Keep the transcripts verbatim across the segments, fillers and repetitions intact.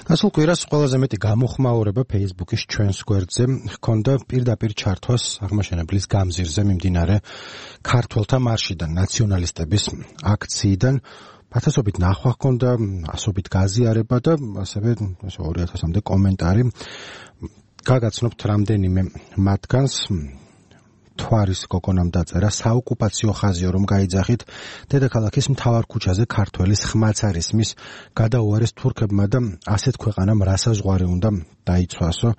ასულ კვირას ყველაზე მეტი გამოხმაურება Facebook-ის ჩვენს გვერდზე ჰქონდა პირდაპირ ჩართვას აღმაშენებლის გამზირზე მიმდინარე ქართველთა მარშიდან, ნაციონალისტების აქციიდან. ათასობით ნახვა ჰქონდა, ასობით გაზიარება და ასევე ორი ათასამდე კომენტარი. გაგაცნობთ რამდენიმე მათგანს. თვარის გოგონამ დაწერა საოკუპაციო ხაზიო რომ გაიძახით დედაქალაქის მთავარ ქუჩაზე ქართველის ხმაც არ ისმის გადაუარეს თურქებმა და ასეთ ქვეყანამ რა საზღვარი უნდა დაიცვასო.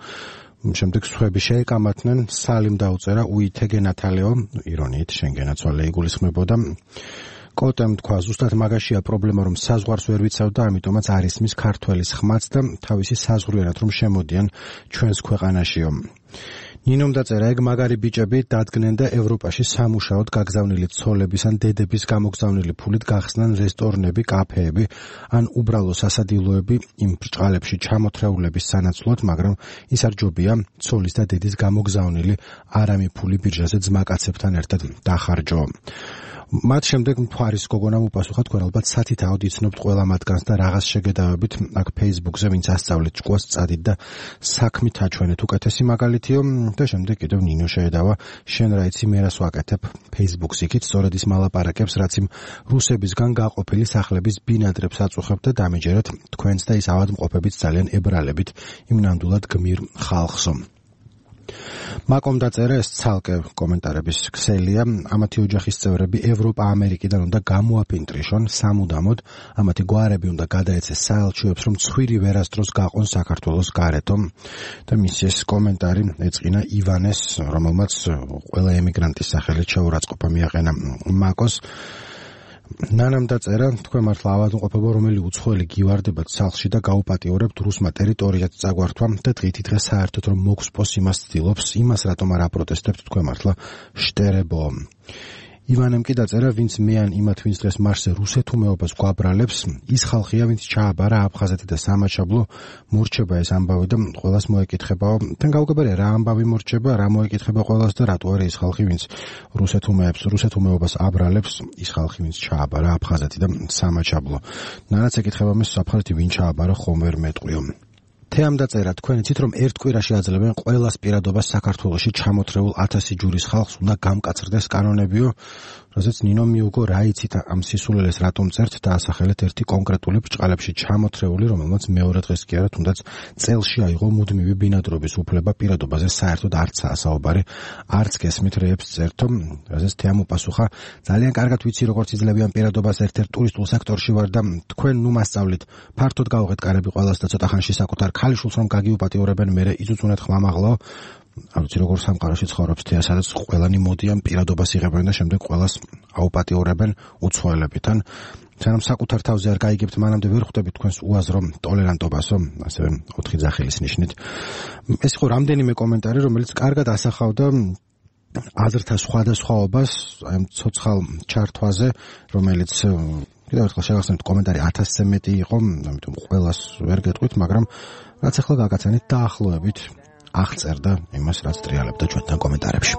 შემდეგ სხვები შეეკამათნენ, სალიმ დაუწერა უითეგე ნათალეო, ირონიით შენგენაცვალე იგულისხმებოდა. კოტემ თქვა ზუსტად მაგაშია პრობლემა რომ საზღვარს ვერ ვიცავ და ამიტომაც არ ისმის ქართველის ხმაც და თავისი საზღვრიანად რომ შემოდიან ჩვენს ქვეყანაშიო. ნინომ დაწერა ეგ მაგარი ბიჭები დადგნენ და ევროპაში სამუშაოდ გაგზავნილი ცოლების ან დედების გამოგზავნილი ფულით გახსნან რესტორნები, კაფეები ან უბრალო სასადილოები იმ ბრჭყალებში ჩამოთრეულების სანაცვლოდ, მაგრამ ის არ ჯობია ცოლის და დედის გამოგზავნილი არამი ფული ბირჟაზე ძმაკაცებთან ერთად დახარჯო. მათ შემდეგ მთვარის გოგონამ უპასუხა თქვენ ალბათ სათითაოდ იცნობთ ყველა მათგანს და რაღაც შეგედავებით აქ Facebook-ზე ვინც ასწავლეთ ჭკუას წადით და საქმით აჩვენეთ უკეთესი მაგალითიო და შემდეგ კიდევ ნინო შეედავა შენ რა იცი მე რას ვაკეთებ Facebook-ს იქით სწორედ ის მალაპარაკებს რაც იმ რუსებისგან გაყოფილი სახლების ბინადრებს აწუხებთ და დამეჯერეთ თქვენს და ის ავადმყოფებით ძალიან ებრალებით იმ ნამდვილად გმირ ხალხსო. მაკომ დაწერა ეს ცალკე კომენტარების ქსელია, ამათი ოჯახის წევრები ევროპა-ამერიკიდან უნდა გამოაფინტრიშონ სამუდამოდ, ამათი გვარები უნდა გადაეცეს საელჩოებს, რომ ცხვირი ვერასდროს გაყონ საქართველოს გარეთო. და მის ეს კომენტარი ეწყინა ივანეს, რომელმაც ყველა ემიგრანტის სახელით შეურაცხყოფა მიაყენა მაკოს. ნანამ დაწერა, თქვენ მართლა ავადმყოფობა რომელი უცხოელი გივარდებათ სახლში და გაუპატიორებთ რუსმა ტერიტორიად წაგვართვა და დღითი დღე საერთოდ რომ მოგსპოს იმას ცდილობს, იმას რატომ არ აპროტესტებთ თქვენ მართლა შტერებო. ივანემ კი დაწერა, ვინც მე ან იმათ ვინც დღეს მარსზე რუსეთუმეობას გვაბრალებს, ის ხალხია, ვინც ჩააბარა აფხაზეთი და სამაჩაბლო, მორჩება ეს ამბავი და ყველას მოეკითხებაო. თან გავგებარია რა ამბავი მორჩება, რა მოეკითხება ყველას და რატო არის ის ხალხი, ვინც რუსეთუმეებს, რუსეთუმეობას აბრალებს, ის ხალხი, ვინც ჩააბარა აფხაზეთი და სამაჩაბლო. ნანაც ეკითხება მე საფხარეთი ვინ ჩააბარა ხომ ვერ მეტყვიო. თეამ დაწერა, თქვენ იცით რომ ერთ კვირაში აძლევენ ყველას პირადობას საქართველოში ჩამოთრეულ ათასი ჯურის ხალხს უნდა გამკაცრდეს კანონებიო, როდესაც ნინო მიუგო რა იცით ამ სისულელეს რატომ წერთ და ასახელეთ ერთი კონკრეტული ბრჭყალებში ჩამოთრეული, რომელმაც მეორე დღეს კი არა, თუნდაც წელში აიღო მუდმივი ბინადრობის უფლება პირადობაზე საერთოდ არცაა საუბარი, არც გესმით რეებს წერთო, როდესაც თეამ უპასუხა, ძალიან კარგად ვიცი როგორც იძლევიან პირადობას ერთ-ერთ ტურისტულ სექტორში ვარ და თქვენ ნუ მასწავლით, ფართოდ გავუღეთ კარები ყველას და ცოტა ხანში საკუთარ ქალიშვილს რომ გაგიუპატიურებენ, მერე იწუწუნეთ ხმამაღლაო. არ ვიცი როგორ სამყაროში ცხოვრობს თეა, სადაც ყველანი მოდიან პირადობას იღებენ და შემდეგ ყველას აუპატიურებენ უცხოელებთან. სანამ საკუთარ თავზე არ გაიგებთ, მანამდე ვერ ხვდებით თქვენს უაზრო ტოლერანტობასო, ასევე ოთხი ძახილის ნიშნით. ეს იყო რამდენიმე კომენტარი, რომელიც კარგად ასახავდა აზრთა სხვადასხვაობას ამ ცოცხალ ჩართვაზე, რომელიც კიდევ ერთხელ შეგახსენებთ კომენტარი ათასზე მეტი იყო, ამიტომ ყველას ვერ გეტყვით, მაგრამ რაც ახლა გაგაცანით დაახლოებით აღწერდა იმას, რაც ტრიალებდა ჩვენთან კომენტარებში.